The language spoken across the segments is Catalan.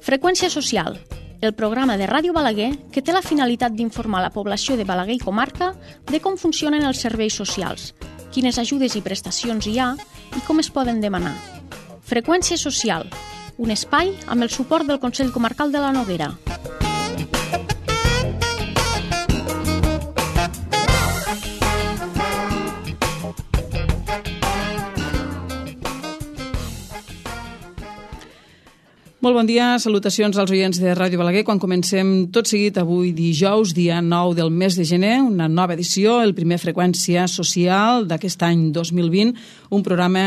Freqüència social, el programa de Ràdio Balaguer que té la finalitat d'informar la població de Balaguer i comarca de com funcionen els serveis socials, quines ajudes i prestacions hi ha i com es poden demanar. Freqüència social, un espai amb el suport del Consell Comarcal de la Noguera. Molt bon dia, salutacions als oients de Ràdio Balaguer. Quan comencem tot seguit avui dijous, dia 9 del mes de gener, una nova edició, el primer Freqüència Social d'aquest any 2020, un programa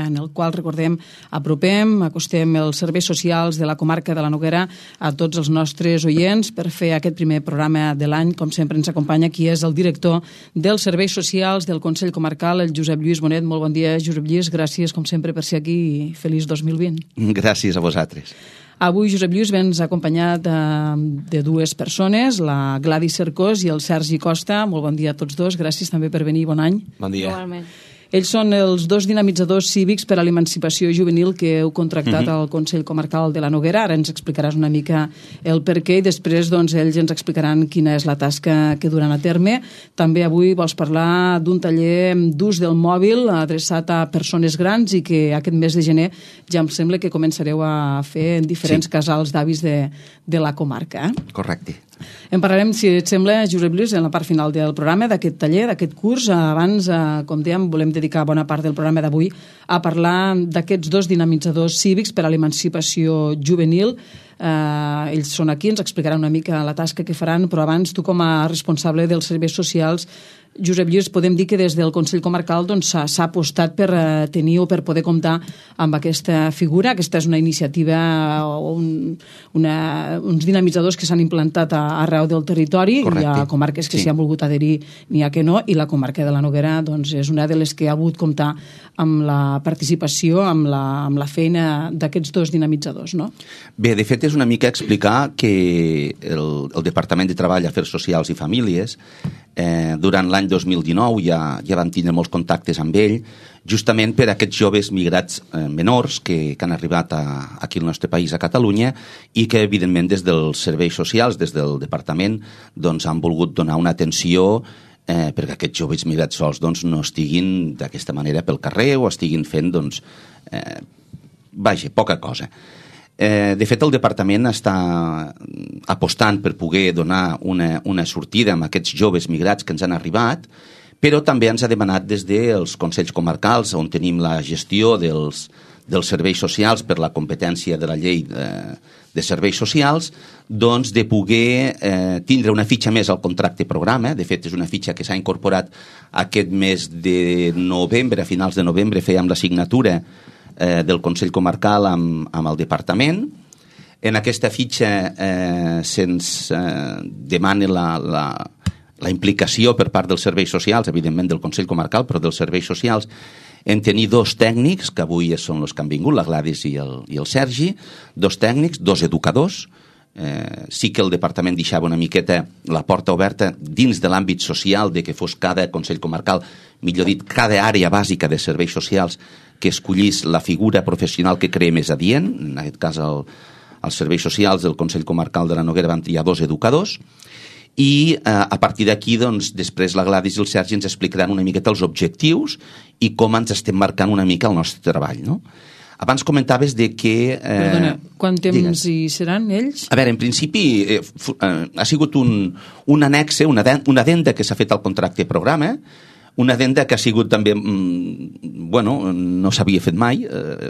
en el qual, recordem, acostem els serveis socials de la comarca de la Noguera a tots els nostres oients. Per fer aquest primer programa de l'any, com sempre ens acompanya qui és el director dels serveis socials del Consell Comarcal, el Josep Lluís Bonet. Molt bon dia, Josep Lluís. Gràcies, com sempre, per ser aquí i feliç 2020. Gràcies a vosaltres. Avui Josep Lluís vens acompanyat de dues persones, la Gladys Cercós i el Sergi Costa. Molt bon dia a tots dos, gràcies també per venir, bon any. Bon dia. Igualment. Ells són els dos dinamitzadors cívics per a l'emancipació juvenil que heu contractat al Consell Comarcal de la Noguera. Ara ens explicaràs una mica el per què i després ells ens explicaran quina és la tasca que duran a terme. També avui vols parlar d'un taller d'ús del mòbil adreçat a persones grans i que aquest mes de gener ja em sembla que començareu a fer en diferents casals d'avis de la comarca. Correcte. En parlarem, si et sembla, Josep Lluís, en la part final del programa, d'aquest taller, d'aquest curs. Abans, com dèiem, volem dedicar bona part del programa d'avui a parlar d'aquests dos dinamitzadors cívics per a l'emancipació juvenil. Ells són aquí, ens explicaran una mica la tasca que faran, però abans tu com a responsable dels serveis socials, Josep Lluís, podem dir que des del Consell Comarcal s'ha apostat per tenir o per poder comptar amb aquesta figura. Aquesta és una iniciativa, uns dinamitzadors que s'han implantat arreu del territori. Correcte. Hi ha comarques que s'hi han volgut adherir, n'hi ha que no, i la comarca de la Noguera és una de les que ha volgut comptar amb la participació, amb la feina d'aquests dos dinamitzadors, no? Bé, de fet és una mica explicar que el Departament de Treball, Afers Socials i Famílies durant l'any 2019 ja van tindre molts contactes amb ell, justament per a aquests joves migrats menors que han arribat aquí al nostre país, a Catalunya, i que evidentment des dels serveis socials, des del departament, han volgut donar una atenció perquè aquests joves migrats sols no estiguin d'aquesta manera pel carrer o estiguin fent poca cosa. De fet, el departament està apostant per poder donar una sortida amb aquests joves migrats que ens han arribat, però també ens ha demanat des dels consells comarcals, on tenim la gestió dels serveis socials per la competència de la llei de serveis socials, de poder tindre una fitxa més al contracte programa. De fet, és una fitxa que s'ha incorporat aquest mes de novembre, a finals de novembre fèiem la signatura del Consell Comarcal amb el departament. En aquesta fitxa se'ns demana la implicació per part dels serveis socials, evidentment del Consell Comarcal, però dels serveis socials, en tenir dos tècnics, que avui són els que han vingut, la Gladys i el Sergi, dos tècnics, dos educadors. Sí que el departament deixava una miqueta la porta oberta dins de l'àmbit social de que fos cada Consell Comarcal, millor dit, cada àrea bàsica de serveis socials que escollís la figura professional que creia més adient. En aquest cas, els serveis socials del Consell Comarcal de la Noguera van triar dos educadors i a partir d'aquí, després la Gladys i el Sergi ens explicaran una miqueta els objectius i com ens estem marcant una mica el nostre treball, no? Abans comentaves de que... Perdona, quant temps hi seran ells? A veure, en principi ha sigut un annexe, una addenda que s'ha fet al contracte programa, una addenda que ha sigut també, no s'havia fet mai.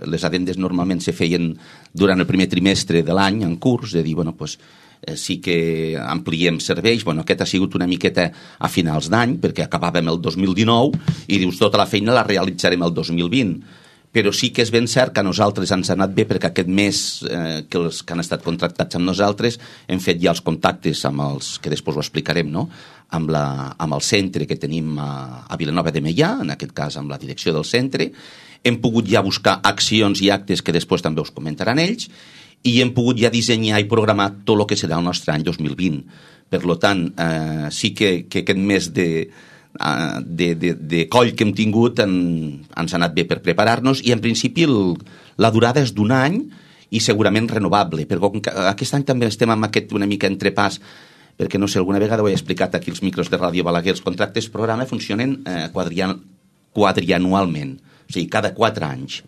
Les addendes normalment se feien durant el primer trimestre de l'any en curs, de dir, sí que ampliem serveis. Aquest ha sigut una miqueta a finals d'any, perquè acabàvem el 2019 i dius, tota la feina la realitzarem el 2020. Però sí que és ben cert que a nosaltres ens ha anat bé perquè aquest mes que els que han estat contractats amb nosaltres hem fet ja els contactes amb els que després ho explicarem, no? Amb el centre que tenim a Vilanova de Meià, en aquest cas amb la direcció del centre. Hem pogut ja buscar accions i actes que després també us comentaran ells i hem pogut ja dissenyar i programar tot el que serà el nostre any 2020. Per tant, sí que aquest mes de coll que hem tingut ens ha anat bé per preparar-nos i en principi la durada és d'un any i segurament renovable, perquè aquest any també estem amb aquest una mica entrepàs, perquè no sé, alguna vegada ho he explicat aquí als micros de Ràdio Balaguer, els contractes programa funcionen quadrianualment, o sigui, cada 4 anys.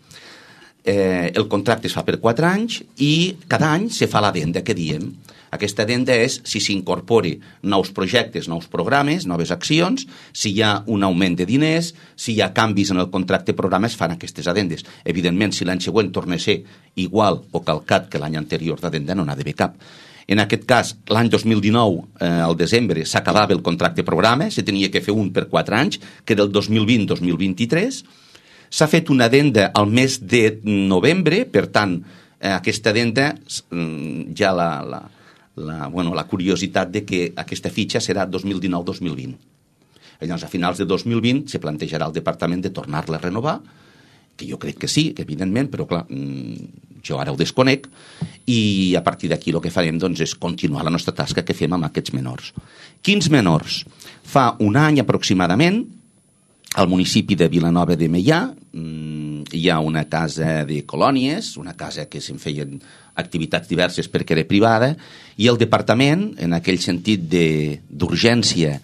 El contracte es fa per 4 anys i cada any se fa l'addenda que diem. Aquesta addenda és si s'incorpora nous projectes, nous programes, noves accions, si hi ha un augment de diners, si hi ha canvis en el contracte programa, es fan aquestes addendes. Evidentment, si l'any següent torna a ser igual o calcat que l'any anterior d'addenda, no n'ha d'haver cap. En aquest cas, l'any 2019, al desembre, s'acabava el contracte programa, se tenia que fer un per 4 anys, que era el 2020-2023. S'ha fet una addenda al mes de novembre, per tant, aquesta addenda ja la curiositat de que aquesta fitxa serà 2019-2020. Llavors, a finals de 2020 se plantejarà el departament de tornar-la a renovar, que jo crec que sí, que evidentment, però clar, jo ara ho desconec, i a partir d'aquí el que farem doncs, és continuar la nostra tasca que fem amb aquests menors. Quins menors? Fa un any aproximadament, al municipi de Vilanova de Meià hi ha una casa de colònies, una casa que se'n feien activitats diverses perquè era privada, i el departament, en aquell sentit d'urgència,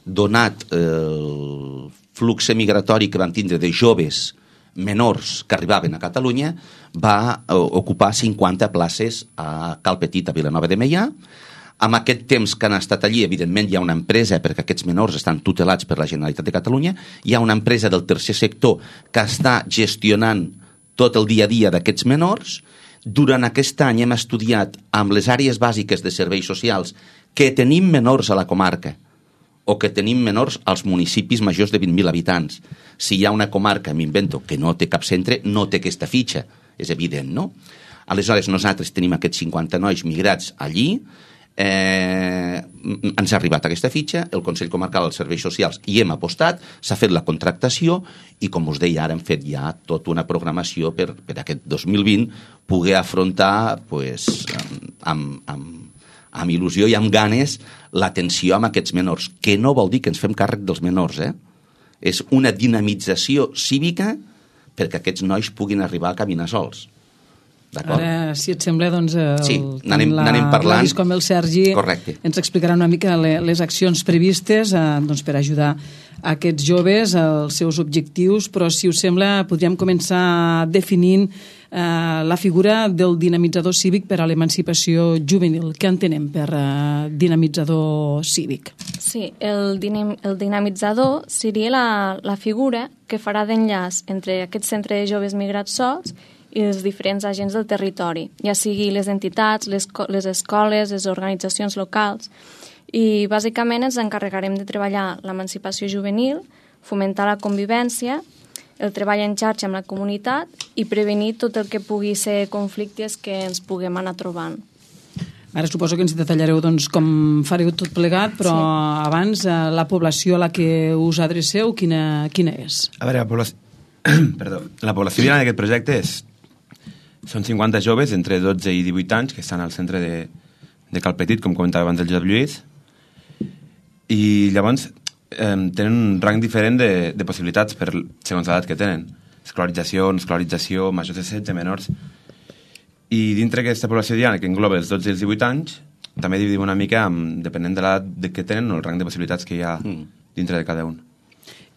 donat el flux migratori que van tindre de joves menors que arribaven a Catalunya, va ocupar 50 places a Cal Petit, a Vilanova de Meià. Amb aquest temps que han estat allí, evidentment hi ha una empresa, perquè aquests menors estan tutelats per la Generalitat de Catalunya, hi ha una empresa del tercer sector que està gestionant tot el dia a dia d'aquests menors. Durant aquest any hem estudiat amb les àrees bàsiques de serveis socials que tenim menors a la comarca o que tenim menors als municipis majors de 20.000 habitants. Si hi ha una comarca, m'invento, que no té cap centre, no té aquesta fitxa, és evident, no? Aleshores, nosaltres tenim aquests 50 nois migrats allí, ens ha arribat aquesta fitxa, el Consell Comarcal dels Serveis Socials hi hem apostat, s'ha fet la contractació i, com us deia, ara hem fet ja tota una programació per aquest 2020 poder afrontar pues, amb il·lusió i amb ganes l'atenció amb aquests menors, que no vol dir que ens fem càrrec dels menors, és una dinamització cívica perquè aquests nois puguin arribar a caminar sols. Ara, si et sembla, doncs n'anem parlant. Com el Sergi Correcte. Ens explicarà una mica les accions previstes doncs, per ajudar aquests joves als seus objectius, però si us sembla podríem començar definint la figura del dinamitzador cívic per a l'emancipació juvenil. Què entenem per dinamitzador cívic? Sí, el dinamitzador seria la figura que farà d'enllaç entre aquest centre de joves migrats sols i els diferents agents del territori, ja sigui les entitats, les escoles, les organitzacions locals. I bàsicament ens encarregarem de treballar l'emancipació juvenil, fomentar la convivència, el treball en xarxa amb la comunitat i prevenir tot el que pugui ser conflictes que ens puguem anar trobant. Ara suposo que ens detallareu doncs, com fareu tot plegat, però sí. Abans la població a la que us adreceu, quina és? A veure, la població en aquest projecte són 50 joves entre 12 i 18 anys que estan al centre de Cal Petit, com comentava abans el Josep Lluís, i llavors tenen un rang diferent de possibilitats segons l'edat que tenen. Escolarització, no escolarització, majors de 16, menors. I dintre d'aquesta població diana, que engloba els 12 i els 18 anys, també dividim una mica depenent de l'edat que tenen o el rang de possibilitats que hi ha dintre de cada un.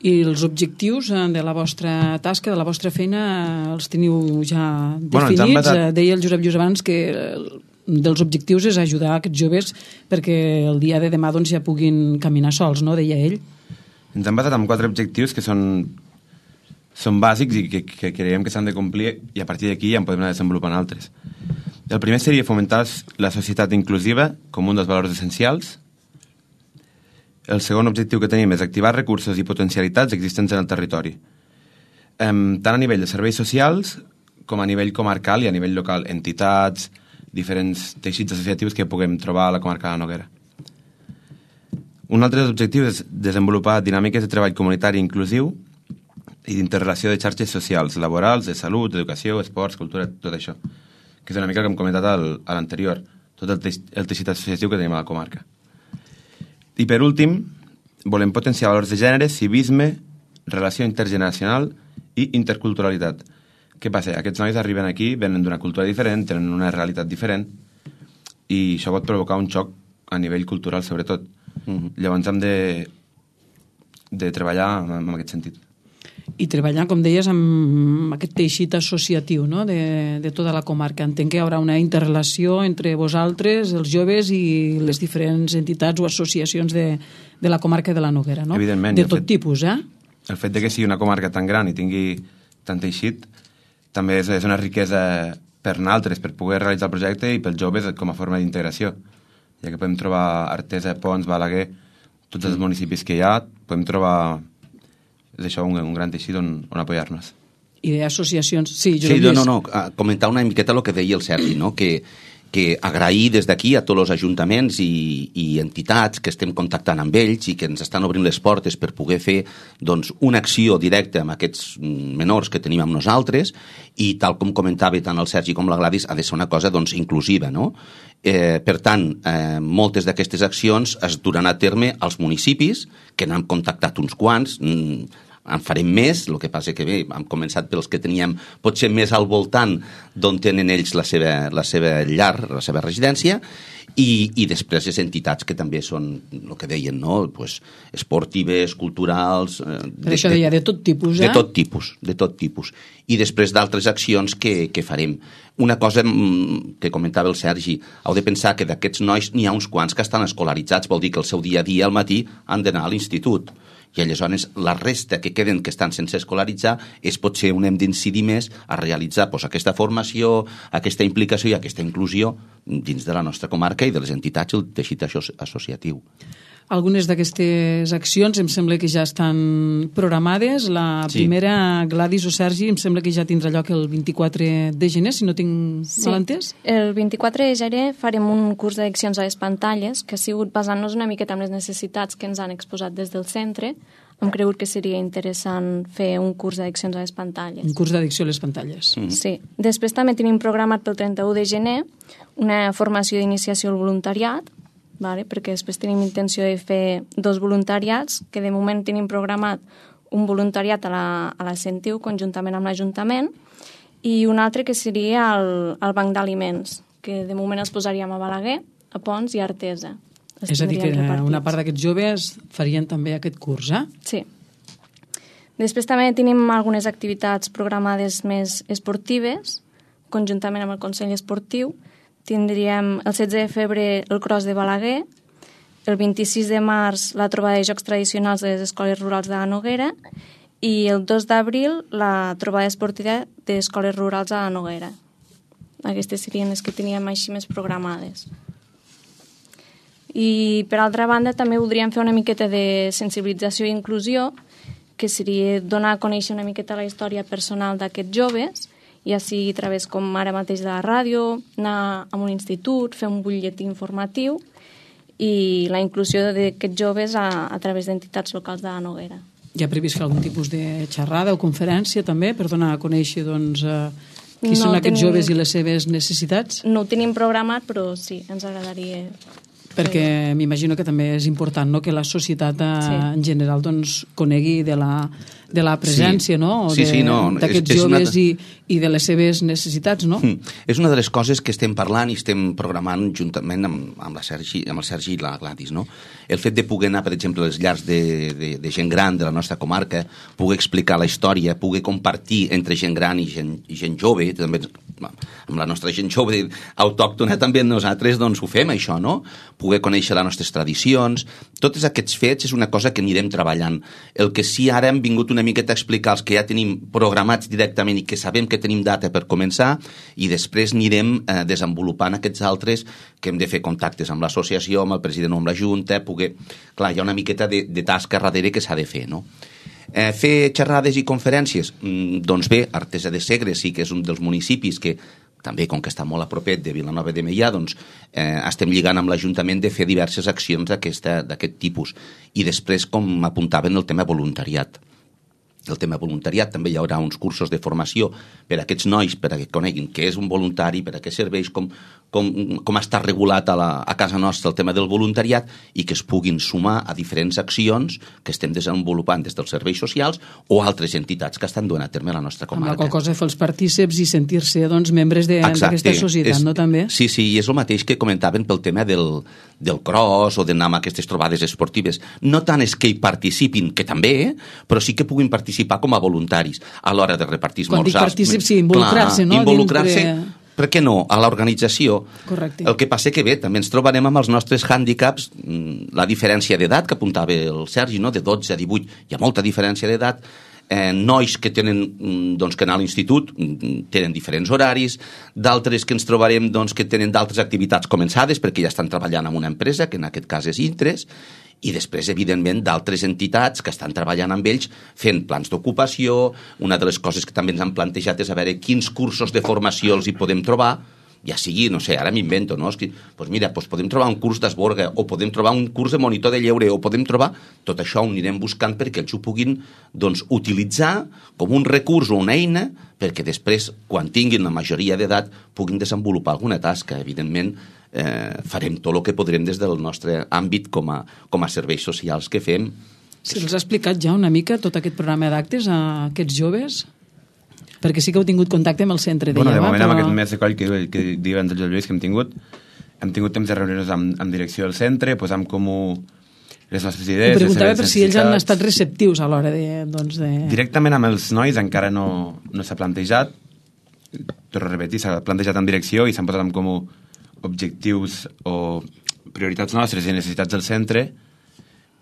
I els objectius de la vostra tasca, de la vostra feina, els teniu ja definits? Deia el Josep Lluís abans que dels objectius és ajudar aquests joves perquè el dia de demà doncs, ja puguin caminar sols, no? Deia ell. Ens hem basat en 4 objectius que són bàsics i que creiem que s'han de complir i a partir d'aquí ja en podem anar desenvolupant altres. El primer seria fomentar la societat inclusiva com un dels valors essencials. El segon objectiu que tenim és activar recursos i potencialitats existents en el territori, tant a nivell de serveis socials com a nivell comarcal i a nivell local, entitats, diferents teixits associatius que puguem trobar a la comarca de la Noguera. Un altre objectiu és desenvolupar dinàmiques de treball comunitari inclusiu i d'interrelació de xarxes socials, laborals, de salut, educació, esports, cultura, tot això, que és una mica el que hem comentat a l'anterior, tot el teixit associatiu que tenim a la comarca. I per últim, volem potenciar valors de gènere, civisme, relació intergeneracional i interculturalitat. què passa? Aquests nois arriben aquí, venen d'una cultura diferent, tenen una realitat diferent, i això pot provocar un xoc a nivell cultural, sobretot. Llavors hem de treballar en aquest sentit. I treballar, com deies, amb aquest teixit associatiu, no?, de tota la comarca. Entenc que hi haurà una interrelació entre vosaltres, els joves, i les diferents entitats o associacions de la comarca de la Noguera, no? Evidentment. De tot tipus, eh? El fet de que sigui una comarca tan gran i tingui tant teixit també és una riquesa per nosaltres, per poder realitzar el projecte, i pels joves com a forma d'integració, ja que podem trobar Artesa, Pons, Balaguer, tots els municipis que hi ha, podem trobar això, un gran teixit on apoyar-nos. I d'associacions... Sí, comentar una miqueta el que deia el Sergi, no? que agrair des d'aquí a tots els ajuntaments i entitats que estem contactant amb ells i que ens estan obrint les portes per poder fer doncs, una acció directa amb aquests menors que tenim amb nosaltres, i tal com comentava tant el Sergi com la Gladys, ha de ser una cosa doncs, inclusiva, no? Per tant, moltes d'aquestes accions es duran a terme als municipis, que n'hem contactat uns quants, en farem més, el que passa que bé, hem començat pels que teníem potser més al voltant d'on tenen ells la seva llar, la seva residència, i després les entitats que també són el que deien, no? Pues, esportives, culturals... Per això deia, de tot tipus, de tot tipus. I després d'altres accions que farem. Una cosa que comentava el Sergi, heu de pensar que d'aquests nois n'hi ha uns quants que estan escolaritzats, vol dir que el seu dia a dia al matí han d'anar a l'institut. I aleshores la resta que queden, que estan sense escolaritzar, és potser on hem d'incidir més a realitzar aquesta formació, aquesta implicació i aquesta inclusió dins de la nostra comarca i de les entitats i el teixit associatiu. Algunes d'aquestes accions em sembla que ja estan programades. La primera, Gladys o Sergi, em sembla que ja tindrà lloc el 24 de gener, si no tinc mal entès. El 24 de gener farem un curs d'addiccions a les pantalles, que ha sigut basant-nos una miqueta en les necessitats que ens han exposat des del centre. Hem cregut que seria interessant fer un curs d'addiccions a les pantalles. Un curs d'addicció a les pantalles. Sí. Després també tenim programat pel 31 de gener una formació d'iniciació al voluntariat, perquè després tenim intenció de fer 2 voluntariats, que de moment tenim programat un voluntariat a la Sentiu, conjuntament amb l'Ajuntament, i un altre que seria el Banc d'Aliments, que de moment els posaríem a Balaguer, a Pons i a Artesa. És a dir, que una part d'aquests joves farien també aquest curs, eh? Sí. Després també tenim algunes activitats programades més esportives, conjuntament amb el Consell Esportiu. Tindríem el 16 de febrer el Cross de Balaguer, el 26 de març la trobada de jocs tradicionals de les escoles rurals de la Noguera i el 2 d'abril la trobada esportiva d'escoles rurals de la Noguera. Aquestes serien les que teníem així més programades. I per altra banda també voldríem fer una miqueta de sensibilització i inclusió, que seria donar a conèixer una miqueta la història personal d'aquests joves, ja sigui a través, com ara mateix, de la ràdio, anar a un institut, fer un butlletí informatiu i la inclusió d'aquests joves a través d'entitats locals de la Noguera. Hi ha previst fer algun tipus de xerrada o conferència també per donar a conèixer qui són aquests joves i les seves necessitats? No ho tenim programat, però sí, ens agradaria... Perquè m'imagino que també és important, no?, que la societat en general conegui de la presència, no?, d'aquests joves i de les seves necessitats, no? És una de les coses que estem parlant i estem programant juntament amb el Sergi i la Gladys, no? El fet de poder anar, per exemple, a les llars de gent gran de la nostra comarca, poder explicar la història, poder compartir entre gent gran i gent jove, també amb la nostra gent jove autòctona també nosaltres ho fem, això, no? Poder conèixer les nostres tradicions, tots aquests fets és una cosa que anirem treballant. El que sí ara hem vingut una miqueta a explicar els que ja tenim programats directament i que sabem que tenim data per començar, i després anirem desenvolupant aquests altres que hem de fer contactes amb l'associació, amb el president o amb la Junta, poder... Clar, hi ha una miqueta de tasca darrere que s'ha de fer, no? Fer xerrades i conferències? Doncs bé, Artesa de Segre sí que és un dels municipis que també, com que està molt a propet de Vilanova de Meià, estem lligant amb l'Ajuntament de fer diverses accions d'aquest tipus. I després, com apuntaven, el tema voluntariat. El tema voluntariat, també hi haurà uns cursos de formació per a aquests nois, per a que coneguin què és un voluntari, per a què serveix, com com està regulat a casa nostra el tema del voluntariat i que es puguin sumar a diferents accions que estem desenvolupant des dels serveis socials o altres entitats que estan duent a terme a la nostra comarca. Amb la qual cosa fer els partíceps i sentir-se membres d'aquesta societat, no també? Sí, i és el mateix que comentaven pel tema del cross o d'anar amb aquestes trobades esportives. No tant és que hi participin, que també, però sí que puguin participar com a voluntaris a l'hora de repartir esmorzars. Quan dic partícip, sí, involucrar-se, no? Involucrar-se, per què no, a l'organització. Correcte. El que passa que bé, també ens trobarem amb els nostres hàndicaps, la diferència d'edat que apuntava el Sergi, no? De 12 a 18, hi ha molta diferència d'edat, nois que tenen que anar a l'institut tenen diferents horaris, d'altres que ens trobarem que tenen d'altres activitats començades perquè ja estan treballant en una empresa, que en aquest cas és Intres, i després, evidentment, d'altres entitats que estan treballant amb ells fent plans d'ocupació. Una de les coses que també ens han plantejat és a veure quins cursos de formació els hi podem trobar, ja sigui, no sé, ara m'invento, no? Doncs mira, podem trobar un curs d'esborga o podem trobar un curs de monitor de lleure o podem trobar... Tot això ho anirem buscant perquè ells ho puguin utilitzar com un recurs o una eina perquè després, quan tinguin la majoria d'edat, puguin desenvolupar alguna tasca. Evidentment, farem tot el que podrem des del nostre àmbit com a serveis socials que fem. Se'ls ha explicat ja una mica tot aquest programa d'actes a aquests joves? Perquè sí que heu tingut contacte amb el centre de de moment, amb aquest mes de coll que diuen dels Lluís que hem tingut temps de reunir-nos amb direcció del centre, posar en comú les nostres idees. Ho preguntava per si ells han estat receptius a l'hora de... Directament amb els nois encara no s'ha plantejat, torno a repetir, s'ha plantejat en direcció i s'han posat en comú objectius o prioritats nostres i necessitats del centre,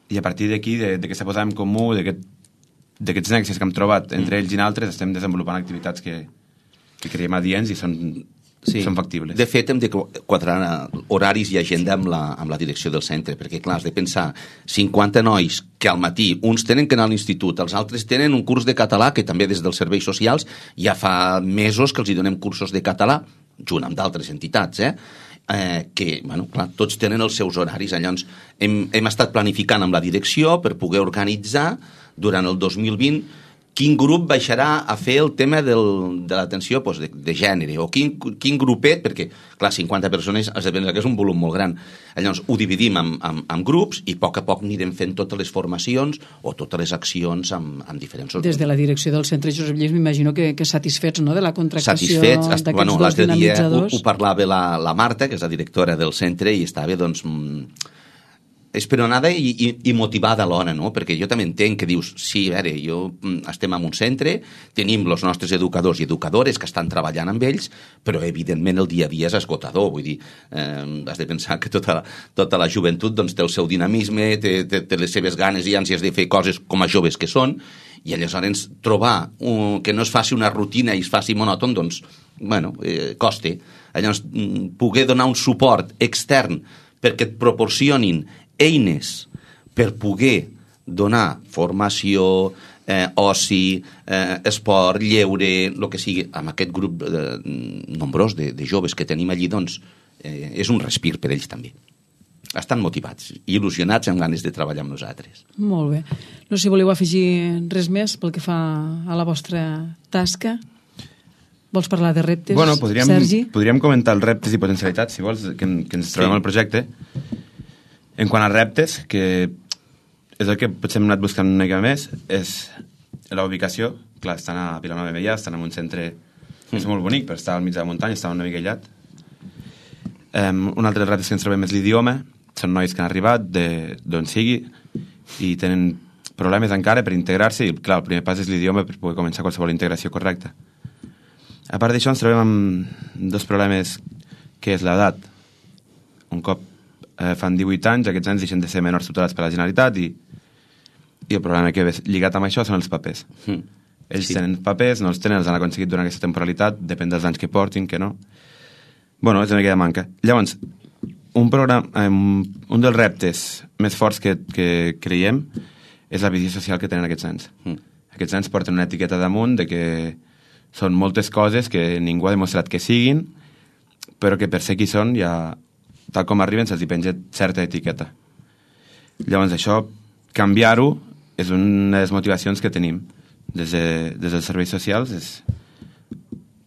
i a partir d'aquí, de que s'ha posat en comú, d'aquests nexes que hem trobat entre ells i altres, estem desenvolupant activitats que creiem adients i són factibles. De fet, hem de quadrar horaris i agenda amb la direcció del centre, perquè, clar, has de pensar 50 nois que al matí uns tenen que anar a l'institut, els altres tenen un curs de català, que també des dels serveis socials ja fa mesos que els hi donem cursos de català, junt amb d'altres entitats, que, bueno, clar, tots tenen els seus horaris. Llavors, hem estat planificant amb la direcció per poder organitzar durant el 2020 quin grup baixarà a fer el tema de l'atenció de gènere, o quin grupet, perquè, clar, 50 persones has de pensar que és un volum molt gran. Llavors, ho dividim en grups i a poc anirem fent totes les formacions o totes les accions amb diferents... Des de la direcció del centre Josep Lleis m'imagino que satisfets, no?, de la contractació d'aquests dos dinamitzadors. Ho parlava la Marta, que és la directora del centre, i estava, esperonada i motivada alhora, no? Perquè jo també entenc que dius, sí, a veure, estem en un centre, tenim els nostres educadors i educadores que estan treballant amb ells, però evidentment el dia a dia és esgotador, vull dir, has de pensar que tota la joventut té el seu dinamisme, té les seves ganes i ànsies de fer coses com a joves que són, i aleshores trobar que no es faci una rutina i es faci monòton, costa. Llavors, poder donar un suport extern perquè et proporcionin eines per poder donar formació, oci, esport, lleure, el que sigui, amb aquest grup nombrós de joves que tenim allí, és un respir per ells també. Estan motivats i il·lusionats amb ganes de treballar amb nosaltres. Molt bé. No sé si voleu afegir res més pel que fa a la vostra tasca. Vols parlar de reptes, Sergi? Podríem comentar els reptes i potencialitats, si vols, que ens trobem al projecte. En quant a reptes, que és el que potser hem anat buscant una mica més, és la ubicació. Clar, estan a Vilanova de Meià, estan en un centre que és molt bonic, per estar al mig de la muntanya, està una mica aïllat. Un altre repte que ens trobem és l'idioma. Són nois que han arribat d'on sigui i tenen problemes encara per integrar-se, i clar, el primer pas és l'idioma per poder començar qualsevol integració correcta. A part d'això ens trobem amb dos problemes, que és l'edat. Un cop fan 18 anys, aquests anys deixen de ser menors tutelats per la Generalitat i el problema que ve lligat amb això són els papers. Ells tenen papers, no els tenen, els han aconseguit durant aquesta temporalitat, depèn dels anys que portin, que no. Bueno, és una mica de manca. Llavors, un dels reptes més forts que creiem és la visió social que tenen aquests nens. Aquests nens porten una etiqueta damunt de que són moltes coses que ningú ha demostrat que siguin, però que per ser qui són ja... tal com arriben, se'ls penja certa etiqueta. Llavors, això, canviar-ho, és una de les motivacions que tenim des dels serveis socials, és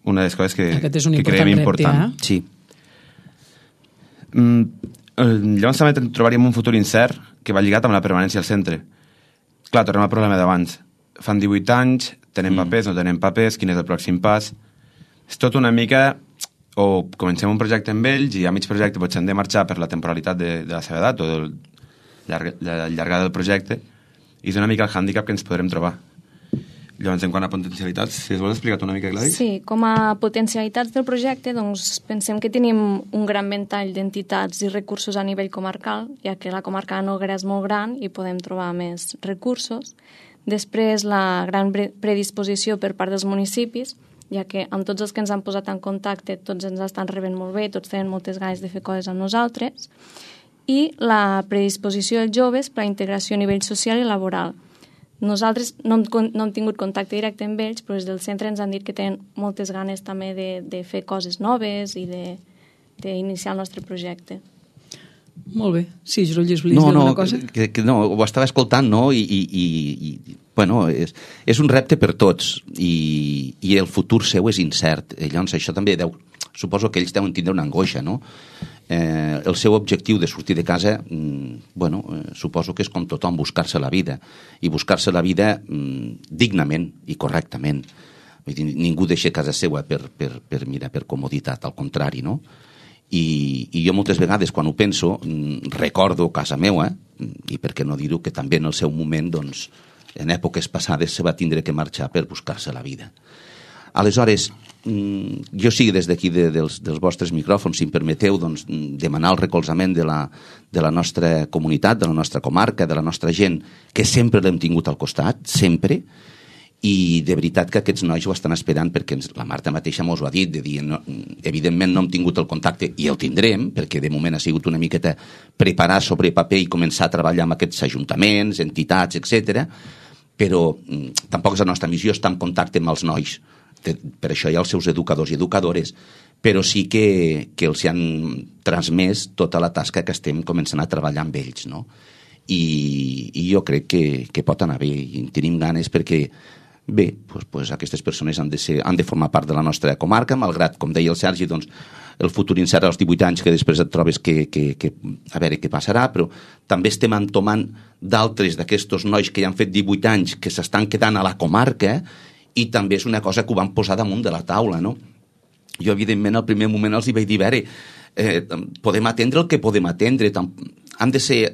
una de les coses que creiem important. Sí. Llavors també trobaríem un futur incert que va lligat amb la permanència al centre. Clar, tornem al problema d'abans. Fan 18 anys, tenen papers, no tenen papers, quin és el pròxim pas? És tot una mica... O comencem un projecte amb ells i a mig projecte potser han de marxar per la temporalitat de la seva edat o la llargada del projecte, i és una mica el hàndicap que ens podrem trobar. Llavors, en quant a potencialitats, si es vols explicar una mica, Gladys? Sí, com a potencialitats del projecte, doncs pensem que tenim un gran ventall d'entitats i recursos a nivell comarcal, ja que la comarca de Noguera és molt gran i podem trobar més recursos. Després, la gran predisposició per part dels municipis, ja que amb tots els que ens han posat en contacte tots ens estan rebent molt bé, tots tenen moltes ganes de fer coses amb nosaltres, i la predisposició dels joves per a la integració a nivell social i laboral. Nosaltres no hem tingut contacte directe amb ells, però des del centre ens han dit que tenen moltes ganes també de fer coses noves i d'iniciar el nostre projecte. Molt bé. Sí, Jorolles, volies dir alguna cosa? No, ho estava escoltant, no? I bueno, és un repte per tots i el futur seu és incert. Llavors, això també suposo que ells deuen tindre una angoixa, no? El seu objectiu de sortir de casa, bueno, suposo que és com tothom, buscar-se la vida. I buscar-se la vida dignament i correctament. Vull dir, ningú deixa casa seva per comoditat, al contrari, no? I jo moltes vegades quan ho penso recordo casa meua, i per què no dir-ho, que també en el seu moment, doncs, en èpoques passades se va tindre que marxar per buscar-se la vida. Aleshores, jo sí, des d'aquí dels vostres micròfons, si em permeteu, doncs, demanar el recolzament de la nostra comunitat, de la nostra comarca, de la nostra gent, que sempre l'hem tingut al costat, sempre, i de veritat que aquests nois ho estan esperant, perquè la Marta mateixa mos ho ha dit, de dir, no, evidentment no hem tingut el contacte i el tindrem, perquè de moment ha sigut una miqueta preparar sobre paper i començar a treballar amb aquests ajuntaments, entitats, etc. Però tampoc és la nostra missió estar en contacte amb els nois, per això hi ha els seus educadors i educadores, però sí que els han transmès tota la tasca que estem començant a treballar amb ells, no? I jo crec que pot anar bé i en tenim ganes perquè bé, doncs aquestes persones han de formar part de la nostra comarca, malgrat, com deia el Sergi, doncs, el futur incert als 18 anys, que després et trobes que a veure què passarà, però també estem entomant d'altres d'aquests nois que ja han fet 18 anys, que s'estan quedant a la comarca, i també és una cosa que ho van posar damunt de la taula, no? Jo, evidentment, al primer moment els hi vaig dir, a veure, podem atendre el que podem atendre, han de ser...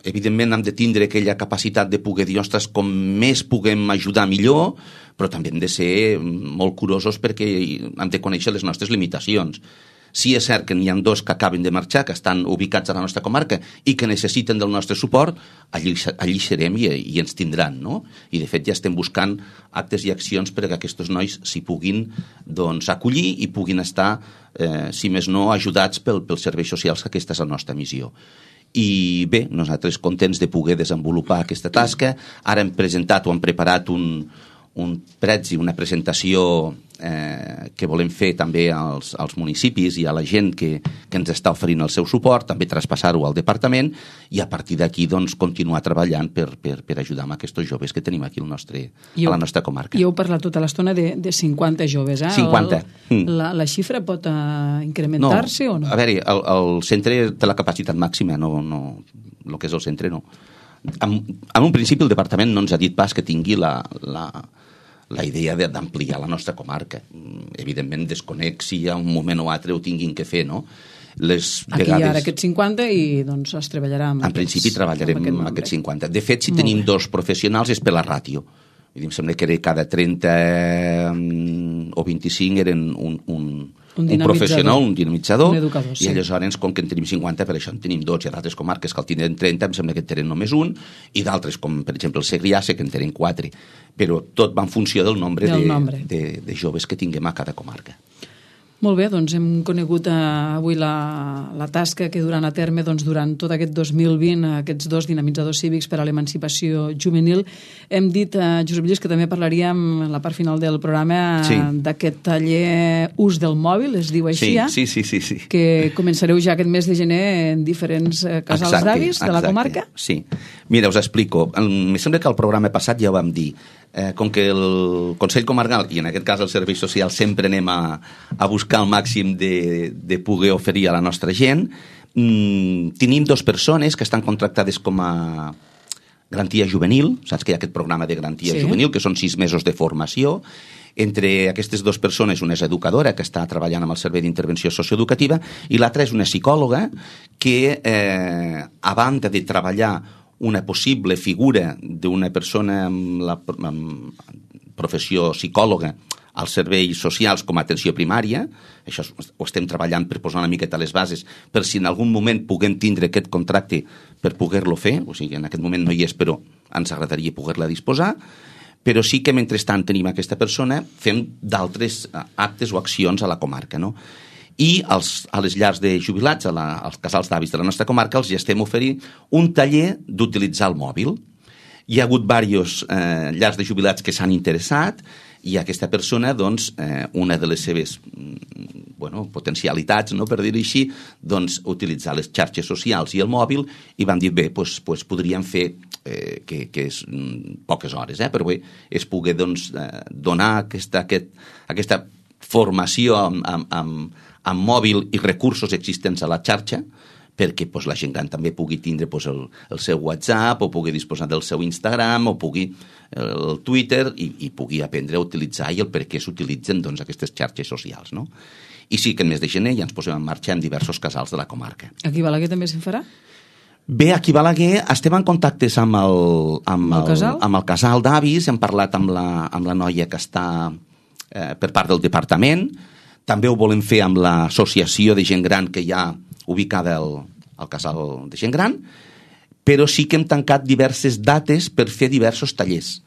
evidentment hem de tindre aquella capacitat de poder dir, ostres, com més puguem ajudar millor, però també hem de ser molt curosos perquè hem de conèixer les nostres limitacions. Sí, és cert que n'hi ha 2 que acaben de marxar, que estan ubicats a la nostra comarca i que necessiten del nostre suport, allí serem i ens tindran, no? I de fet ja estem buscant actes i accions perquè aquests nois s'hi puguin doncs, acollir i puguin estar, si més no, ajudats pels serveis socials, que aquesta és la nostra missió. I bé, nosaltres contents de poder desenvolupar aquesta tasca. Ara hem presentat o hem preparat un prezi, una presentació que volem fer també als municipis i a la gent que ens està oferint el seu suport, també traspassar-ho al departament i a partir d'aquí doncs, continuar treballant per ajudar amb aquests joves que tenim aquí a la nostra comarca. I heu parlat tota l'estona de 50 joves, eh? 50. La xifra pot incrementar-se o no? A veure, el centre té la capacitat màxima, no, el que és el centre no. En un principi el departament no ens ha dit pas que tingui la idea d'ampliar la nostra comarca. Evidentment desconec si hi ha un moment o altre ho tinguin que fer, no? Aquí hi ha aquests 50 i doncs es treballarà amb en principi treballarem amb aquests 50. De fet, si tenim 2 professionals és per la ràtio. Em sembla que cada 30 o 25 eren un professional, un dinamitzador, un educador, sí. I aleshores, com que en tenim 50, per això en tenim 2, i d'altres comarques que el tindrem 30, em sembla que en tenen només un, i d'altres, com per exemple el Segrià, sé que en tenen 4. Però tot va en funció del nombre de joves que tinguem a cada comarca. Molt bé, doncs hem conegut avui la tasca que duran a terme durant tot aquest 2020 aquests 2 dinamitzadors cívics per a l'emancipació juvenil. Hem dit, Josep Lluís, que també parlaríem en la part final del programa d'aquest taller ús del mòbil, es diu així, sí. Que començareu ja aquest mes de gener en diferents casals d'avis de la comarca. Sí. Mira, us explico. Em sembla que al programa passat ja ho vam dir. Com que el Consell Comarcal, i en aquest cas el Servei Social, sempre anem a buscar el màxim de poder oferir a la nostra gent, tenim 2 persones que estan contractades com a garantia juvenil, saps que hi ha aquest programa de garantia juvenil, que són 6 mesos de formació. Entre aquestes 2 persones, una és educadora, que està treballant amb el Servei d'Intervenció Socioeducativa, i l'altra és una psicòloga que, a banda de treballar una possible figura d'una persona amb la professió psicòloga als serveis socials com a atenció primària, això ho estem treballant per posar una miqueta les bases, per si en algun moment puguem tindre aquest contracte per poder-lo fer, o sigui, en aquest moment no hi és, però ens agradaria poder-la disposar, però sí que mentrestant tenim aquesta persona, fem d'altres actes o accions a la comarca, no? I a les llars de jubilats, als casals d'avis de la nostra comarca, els ja estem oferint un taller d'utilitzar el mòbil. Hi ha hagut diversos llars de jubilats que s'han interessat i aquesta persona, doncs, una de les seves potencialitats, no, per dir-ho així, doncs, utilitzar les xarxes socials i el mòbil, i van dir, bé, doncs podríem fer, que és poques hores, però bé, es pugui doncs, donar aquesta formació amb mòbil i recursos existents a la xarxa, perquè la gent gran també pugui tindre el seu WhatsApp, o pugui disposar del seu Instagram, o pugui el Twitter, i pugui aprendre a utilitzar i el per què s'utilitzen aquestes xarxes socials, no? I sí que el mes de gener ja ens posem en marxa en diversos casals de la comarca. Aquí a Balaguer també se'n farà? Bé, aquí a Balaguer estem en contactes amb el casal d'avis, hem parlat amb la noia que està per part del departament, també ho volem fer amb l'associació de gent gran que hi ha ubicada al casal de gent gran, però sí que hem tancat diverses dates per fer diversos tallers.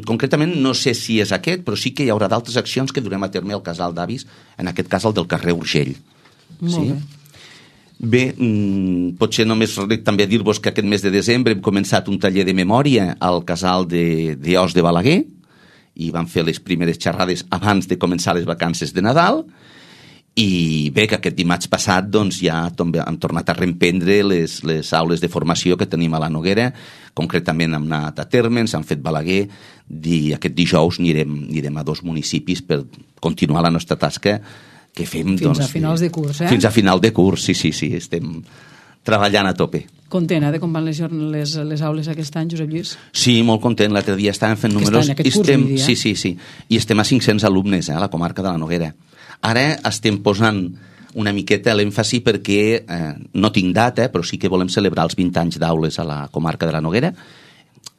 Concretament no sé si és aquest, però sí que hi haurà d'altres accions que durem a terme al casal d'avis, en aquest cas el del carrer Urgell. Molt bé. Bé, potser només també dir-vos que aquest mes de desembre hem començat un taller de memòria al casal d'Os de Balaguer, i vam fer les primeres xerrades abans de començar les vacances de Nadal, i bé, que aquest dimarts passat doncs, ja hem tornat a reemprendre les aules de formació que tenim a la Noguera, concretament hem anat a terme, ens han fet Balaguer, i aquest dijous anirem a 2 municipis per continuar la nostra tasca que fem... Fins a finals de curs, eh? Fins a final de curs, sí, estem treballant a tope. Content, de com van les aules aquest any, Josep Lluís? Sí, molt content. L'altre dia estàvem fent números... Aquest curs, vull dir, Sí. I estem a 500 alumnes, a la comarca de la Noguera. Ara estem posant una miqueta l'èmfasi perquè no tinc data, però sí que volem celebrar els 20 anys d'aules a la comarca de la Noguera.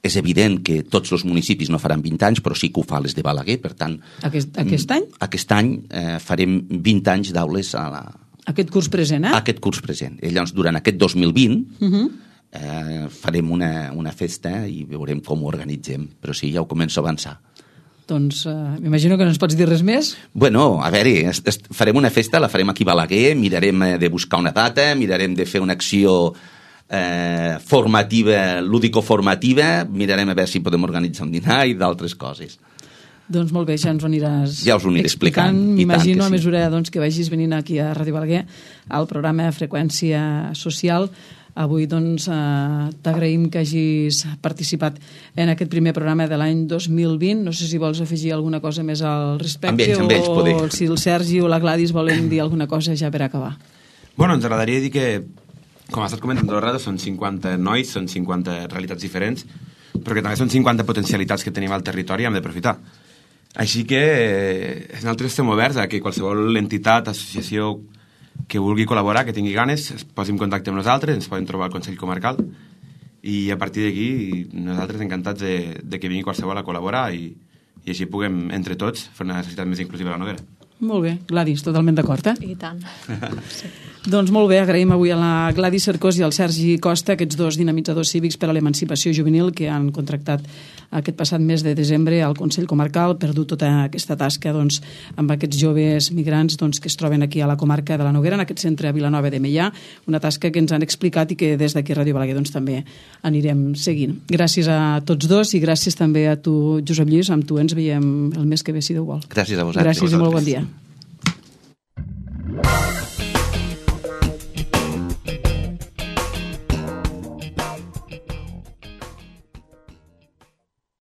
És evident que tots els municipis no faran 20 anys, però sí que ho fa les de Balaguer, per tant... Aquest any? Aquest any farem 20 anys d'aules a la... Aquest curs present, Aquest curs present. Llavors, durant aquest 2020 farem una festa i veurem com ho organitzem, però sí, ja ho començo a avançar. Doncs m'imagino que no ens pots dir res més. Bueno, a veure, farem una festa, la farem aquí a Balaguer, mirarem de buscar una data, mirarem de fer una acció formativa, lúdico-formativa, mirarem a veure si podem organitzar un dinar i d'altres coses. Doncs molt bé, ja ens ho aniràs explicant. M'imagino a mesura que vagis venint aquí a Ràdio Balaguer al programa Freqüència Social. Avui t'agraïm que hagis participat en aquest primer programa de l'any 2020. No sé si vols afegir alguna cosa més al respecte, amb ells poder. O si el Sergi o la Gladys volen dir alguna cosa ja per acabar. Bueno, ens agradaria dir que, com has estat comentant tot el rato, són 50 nois, són 50 realitats diferents, però que també són 50 potencialitats que tenim al territori i hem d'aprofitar. Així que nosaltres estem oberts a que qualsevol entitat, associació que vulgui col·laborar, que tingui ganes, es posi en contacte amb nosaltres, ens poden trobar al Consell Comarcal, i a partir d'aquí nosaltres encantats de que vingui qualsevol a col·laborar i així puguem, entre tots, fer una societat més inclusiva a la Noguera. Molt bé, Gladys, totalment d'acord, I tant. Sí. Doncs molt bé, agraïm avui a la Gladys Cercós i al Sergi Costa, aquests 2 dinamitzadors cívics per a l'emancipació juvenil que han contractat aquest passat mes de desembre al Consell Comarcal per dur tota aquesta tasca amb aquests joves migrants que es troben aquí a la comarca de la Noguera, en aquest centre a Vilanova de Meià, una tasca que ens han explicat i que des d'aquí a Ràdio Balaguer també anirem seguint. Gràcies a tots 2 i gràcies també a tu, Josep Lluís, amb tu ens veiem el mes que ve, si Déu vol. Gràcies a vosaltres. Gràcies i molt bon dia.